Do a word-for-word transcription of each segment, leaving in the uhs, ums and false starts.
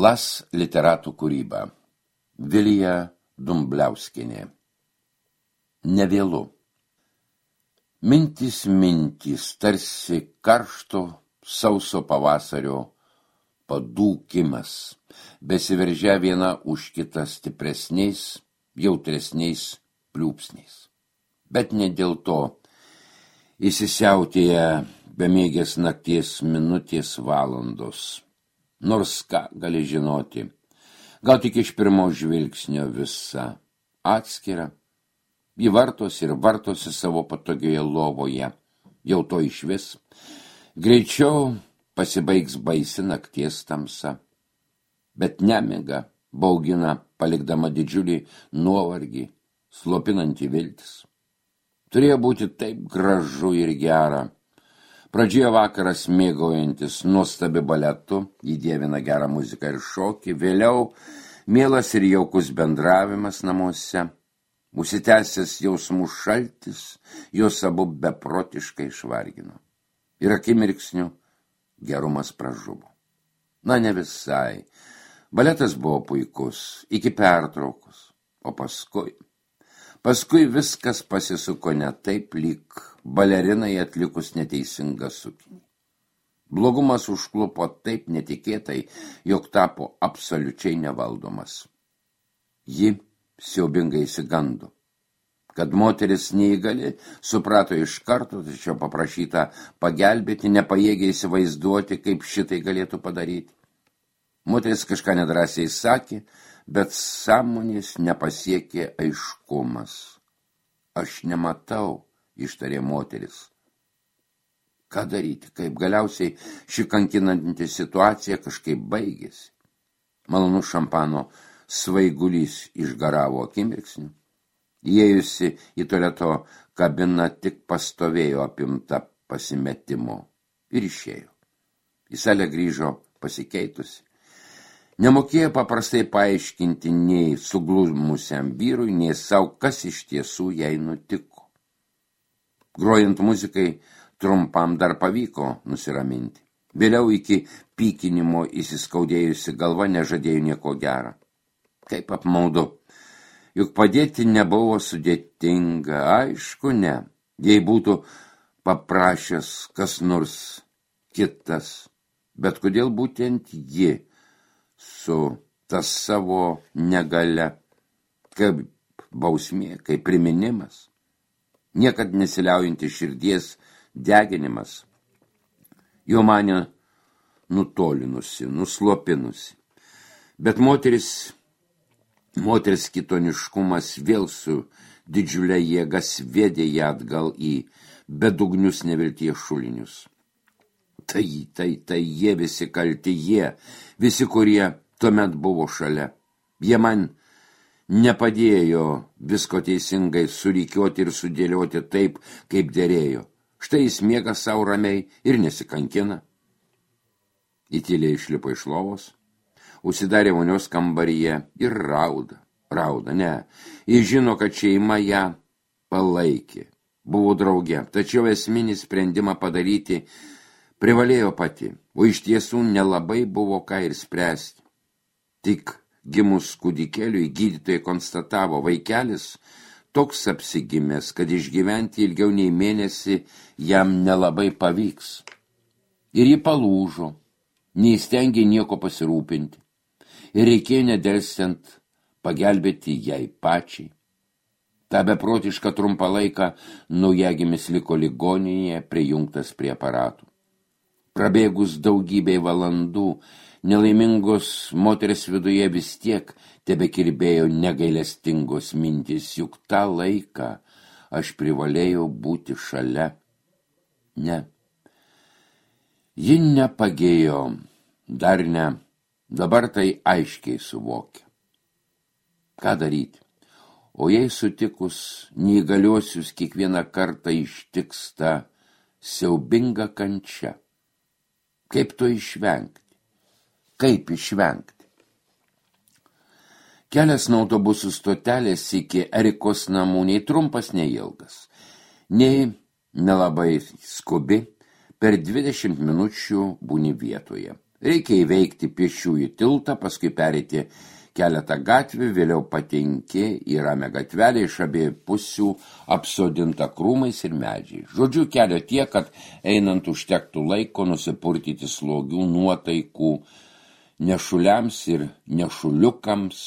Las literatų kūryba. Vilija Dumbliauskienė. Nevėlu. Mintys mintys, tarsi karšto sauso pavasario padūkimas, besiveržia viena už kitą stipresniais, jautresniais pliūpsniais. Bet ne dėl to įsisiautėja bemėgės nakties minutės valandos. Nors ką gali žinoti, gal tik iš pirmo žvilgsnio visa atskira, ji vartos ir vartosi savo patogioje lovoje, jau to išvis, greičiau pasibaigs baisi nakties tamsa, bet nemiga baugina, palikdama didžiulį nuovargį, slopinantį viltis. Turėjo būti taip gražu ir gera. Pradžioje vakaras mėgaujantis nuostabi baletu, jį dievina gerą muziką ir šokį, vėliau mielas ir jaukus bendravimas namuose, užsitęsęs jausmų šaltis, jos abu beprotiškai išvargino. Ir akimirksniu gerumas pražuvo. Na, ne visai. Baletas buvo puikus, iki pertraukos, o paskui... Paskui viskas pasisuko ne taip, lyg balerinai atlikus neteisingą sukinį. Blogumas užklupo taip netikėtai, jog tapo absoliučiai nevaldomas. Ji siaubingai išsigando. Kad moteris neįgali, suprato iš karto, tačiau paprašyta pagelbėti, nepajėgė įsivaizduoti, kaip šitai galėtų padaryti. Moteris kažką nedrąsiai sakė, bet sąmonės nepasiekė aiškumas. Aš nematau, ištarė moteris. Ką daryti, kaip galiausiai ši kankinanti situacija kažkaip baigėsi. Malonus šampano svaigulys išgaravo akimirksnį. Įėjusi į tualeto kabiną tik pastovėjo apimta pasimetimo ir išėjo. Į salę grįžo pasikeitusi. Nemokėjo paprastai paaiškinti nei suglumusiam vyrui, nei savo, kas iš tiesų jai nutiko. Grojant muzikai trumpam dar pavyko nusiraminti. Vėliau iki pykinimo įsiskaudėjusi galva nežadėjo nieko gera. Kaip apmaudu, juk padėti nebuvo sudėtinga, aišku ne, jei būtų paprašęs kas nors kitas, bet kodėl būtent ji su tas savo negale, kaip bausmė, kaip priminimas, niekad nesiliaujanti širdies deginimas, jo mane nutolinusi, nuslopinusi. Bet moteris, moters kitoniškumas vėl su didžiulė jėga sviedė ją atgal į bedugnius nevilties šulinius. Tai, tai, tai jie visi kalti, jie, visi, kurie tuomet buvo šalia. Jie man nepadėjo visko teisingai surykiuoti ir sudėlioti taip, kaip dėrėjo. Štai jis miega savo ramiai ir nesikankina. Įtylė išlipo iš lovos, užsidarė vonios kambaryje ir rauda, rauda, ne. Jis žino, kad šeima ją palaikė, buvo drauge, tačiau esminį sprendimą padaryti privalėjo pati, o iš tiesų nelabai buvo ką ir spręsti. Tik gimus kūdikėliui gydytojai konstatavo, vaikelis toks apsigimęs, kad išgyventi ilgiau nei mėnesį jam nelabai pavyks. Ir ji palūžo, neįstengė nieko pasirūpinti, ir reikėjo nedelsiant pagelbėti jai pačiai. Ta beprotišką trumpą laiką naujagimis liko ligoninėje prijungtas prie aparatų. Prabėgus daugybei valandų, nelaimingos moters viduje vis tiek tebekirbėjo negailestingos mintys, juk tą laiką aš privalėjau būti šalia. Ne. Ji nepagėjo, dar ne, dabar tai aiškiai suvokia. Ką daryti? O jei sutikus neįgaliuosius kiekvieną kartą ištiks ta siaubinga kančia. Kaip to išvengti? Kaip išvengti? Kelias nuo autobusų stotelės iki Erikos namų nei trumpas, nei ilgas. Nei nelabai skubi, per dvidešimt minučių būni vietoje. Reikia įveikti pėsčiųjų tiltą, paskui pereiti keletą gatvių, vėliau patenki į ramią gatvelę, iš abiejų pusių apsodinta krūmais ir medžiai. Žodžiu, kelio tiek, kad einant užtektų laiko nusipurtyti slogių nuotaikų nešuliams ir nešuliukams.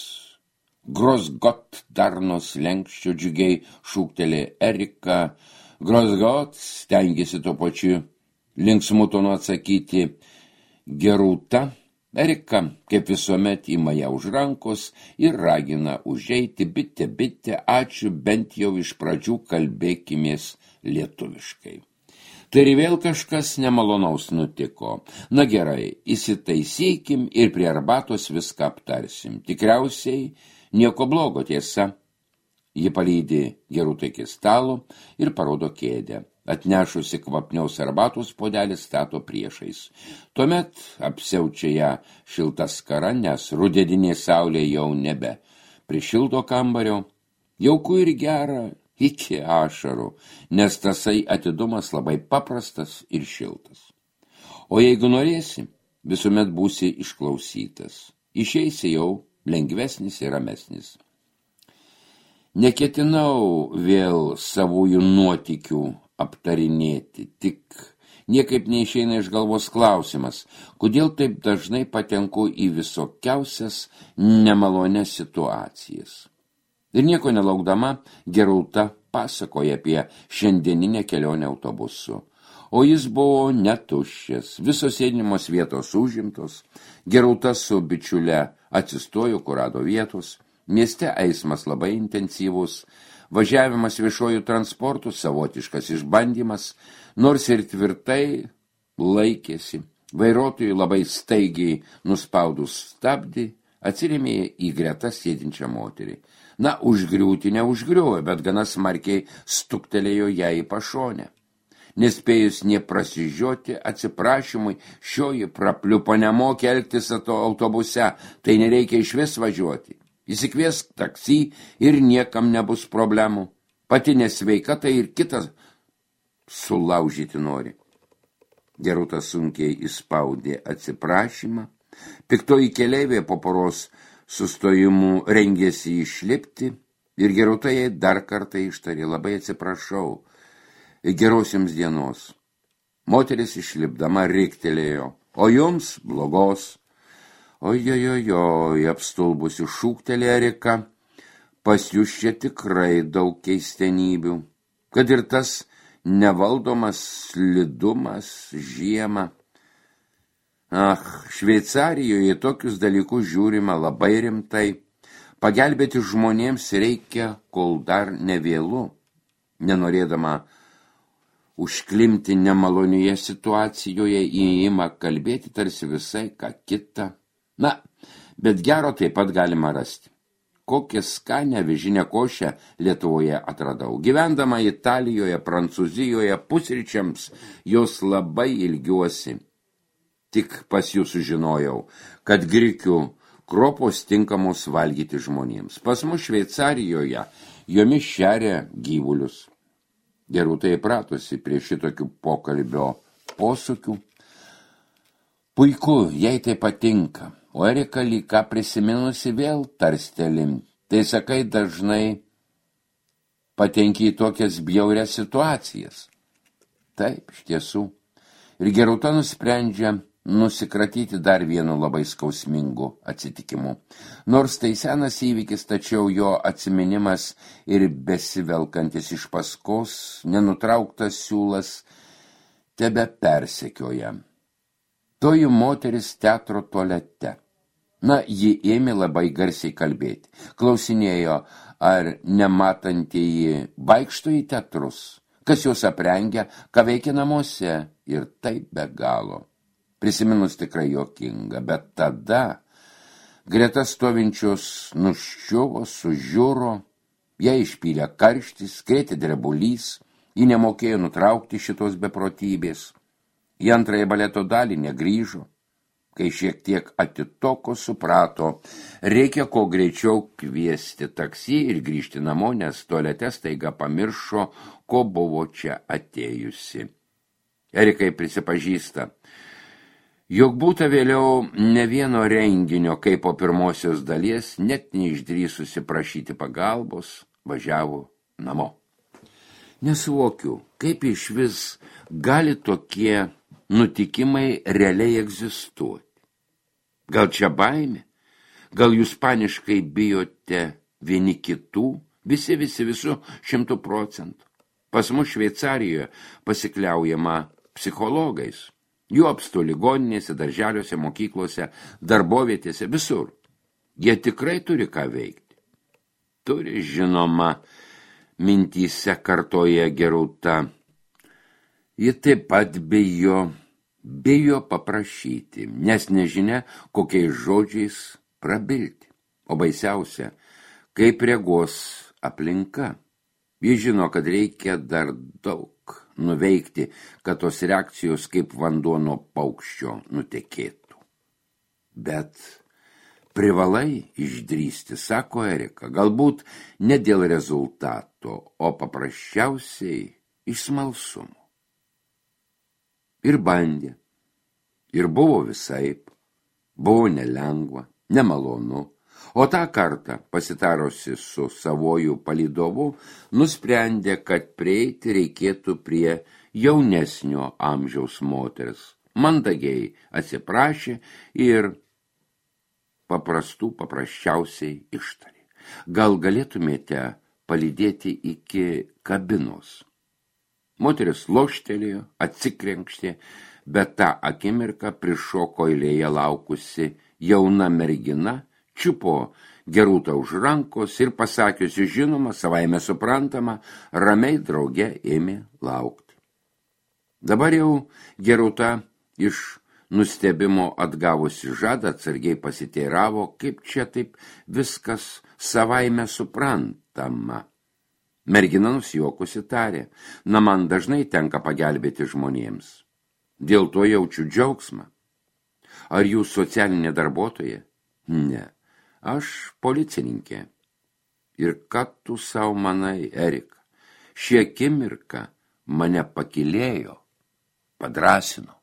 Grosgot darnos lenkščio džiugiai šūktelė Erika. Grosgot stengiasi tuo pačiu linksmu tonu atsakyti Gerūta. Erika, kaip visuomet, ima ją už rankos ir ragina užeiti, bitė, bitė, ačiū, bent jau iš pradžių kalbėkimės lietuviškai. Tai ir vėl kažkas nemalonaus nutiko. Na gerai, įsitaisykim ir prie arbatos viską aptarsim. Tikriausiai nieko blogo, tiesa. Ji palydi Gerūtą iki stalo ir parodo kėdę. Atnešusi kvapniaus arbatos puodelį stato priešais. Tuomet apsiaučia ją šilta skara, nes rudeninė saulė jau nebe prišildo kambario. Jauku ir gera iki ašarų, nes tasai atidumas labai paprastas ir šiltas. O jeigu norėsi, visuomet būsi išklausytas. Išeisi jau lengvesnis ir ramesnis. Neketinau vėl savųjų nuotykių aptarinėti, tik niekaip neišeina iš galvos klausimas, kodėl taip dažnai patenku į visokiausias nemalonias situacijas. Ir nieko nelaukdama, Gerūta pasakoja apie šiandieninę kelionę autobusu. O jis buvo netuščias, visos sėdimos vietos užimtos, Gerūta su bičiule atsistojo, kur rado vietos, mieste eismas labai intensyvus, važiavimas viešojų transportų savotiškas išbandymas, nors ir tvirtai laikėsi. Vairuotojui labai staigiai nuspaudus stabdį, atsirėmė į greta sėdinčią moterį. Na, užgriūti neužgriuvo, bet gana smarkiai stuktelėjo ją į pašonę. Nespėjus neprasižioti atsiprašymui, šioji prapliupo nemokė elgtis autobuse, tai nereikia išvis važiuoti. Įsikviesk taksi ir niekam nebus problemų. Pati nesveika, tai ir kitas sulaužyti nori. Gerūta sunkiai įspaudė atsiprašymą. Piktoji keleivė po poros sustojimų rengėsi išlipti ir Gerūta jai dar kartą ištarė: labai atsiprašau, geros jums dienos. Moteris išlipdama riktelėjo: o jums blogos. Ojojojoj, apstulbusi šūktelė Erika, pas jūs čia tikrai daug keistenybių, kad ir tas nevaldomas slidumas žiemą. Ach, Šveicarijoje tokius dalykus žiūrima labai rimtai. Pagelbėti žmonėms reikia, kol dar nevėlu. Nenorėdama užklimti nemalonioje situacijoje, įima kalbėti tarsi visai ką kitą. Na, bet gero taip pat galima rasti. Kokią skanę avižinę košę Lietuvoje atradau. Gyvendama Italijoje, Prancūzijoje, pusryčiams jos labai ilgiuosi. Tik pas jūs sužinojau, kad grikių kropos tinkamos valgyti žmonėms. Pas mus Šveicarijoje jomis šeria gyvulius. Gerūta įpratusi prie šitokių pokalbio posūkių. Puiku, jai tai patinka. O Erika lyg ką prisiminusi vėl tarstelim. Tai sakai, dažnai patenki į tokias bjaurias situacijas. Taip, iš tiesų. Ir Gerūta nusprendžia nusikratyti dar vienu labai skausmingu atsitikimu. Nors tai senas įvykis, tačiau jo atsiminimas ir besivelkantis iš paskos, nenutrauktas siūlas tebe persekioja. Toji moteris teatro tualete. Na, ji ėmė labai garsiai kalbėti. Klausinėjo, ar nematantieji vaikšto į teatrus, kas juos aprengia, ką veikia namuose, ir taip be galo. Prisiminus tikrai juokinga, bet tada greta stovinčios nuščiuvo, sužiuro, ją išpylė karštis, krėtė drebulys, ji nemokėjo nutraukti šitos beprotybės. Į antrąją baleto dalį negrįžo. Kai šiek tiek atitoko, suprato, reikia kuo greičiau kviesti taksi ir grįžti namo, nes tualete staiga pamiršo, ko buvo čia atėjusi. Erikai prisipažįsta: Jog būta vėliau ne vieno renginio, kaip po pirmosios dalies, net neišdrįsusi prašyti pagalbos, važiavo namo. Nesuvokiu, kaip iš vis gali tokie nutikimai realiai egzistuoti. Gal čia baimė? Gal jūs paniškai bijote vieni kitų? Visi, visi, visų šimtų procentų. Pas mus Šveicarijoje pasikliaujama psichologais. Jų apstu ligoninėse, darželiuose, mokyklose, darbovietėse, visur. Jie tikrai turi ką veikti. Turi, žinoma, mintyse kartoja Gerūta. Ji taip pat bijo, bijo paprašyti, nes nežinia, kokiais žodžiais prabilti. O baisiausia, kaip reagos aplinka. Ji žino, kad reikia dar daug nuveikti, kad tos reakcijos kaip vanduo nuo paukščio nutekėtų. Bet privalai išdrįsti, sako Erika, galbūt ne dėl rezultato, o paprasčiausiai iš smalsumo. Ir bandė, ir buvo visaip, buvo nelengva, nemalonu, o tą kartą, pasitarusi su savoju palydovu, nusprendė, kad prieiti reikėtų prie jaunesnio amžiaus moters. Mandagiai atsiprašė ir paprastų paprasčiausiai ištarė. Gal galėtumėte palydėti iki kabinos? Moteris loštelėjo, atsikrenkštė, bet tą akimirką prišoko eilėje laukusi jauna mergina, čiupo Gerūtą už rankos ir pasakiusi žinoma, savaime suprantama, ramiai drauge ėmė laukti. Dabar jau Gerūta iš nustebimo atgavusi žadą atsargiai pasiteiravo, kaip čia taip viskas savaime suprantama. Mergina nusijuokusi tarė, na man dažnai tenka pagelbėti žmonėms. Dėl to jaučiu džiaugsmą. Ar jūs socialinė darbuotoja? Ne. Aš policininkė. Ir ką tu savo manai, Erika? Šie akimirka mane pakylėjo, padrasino.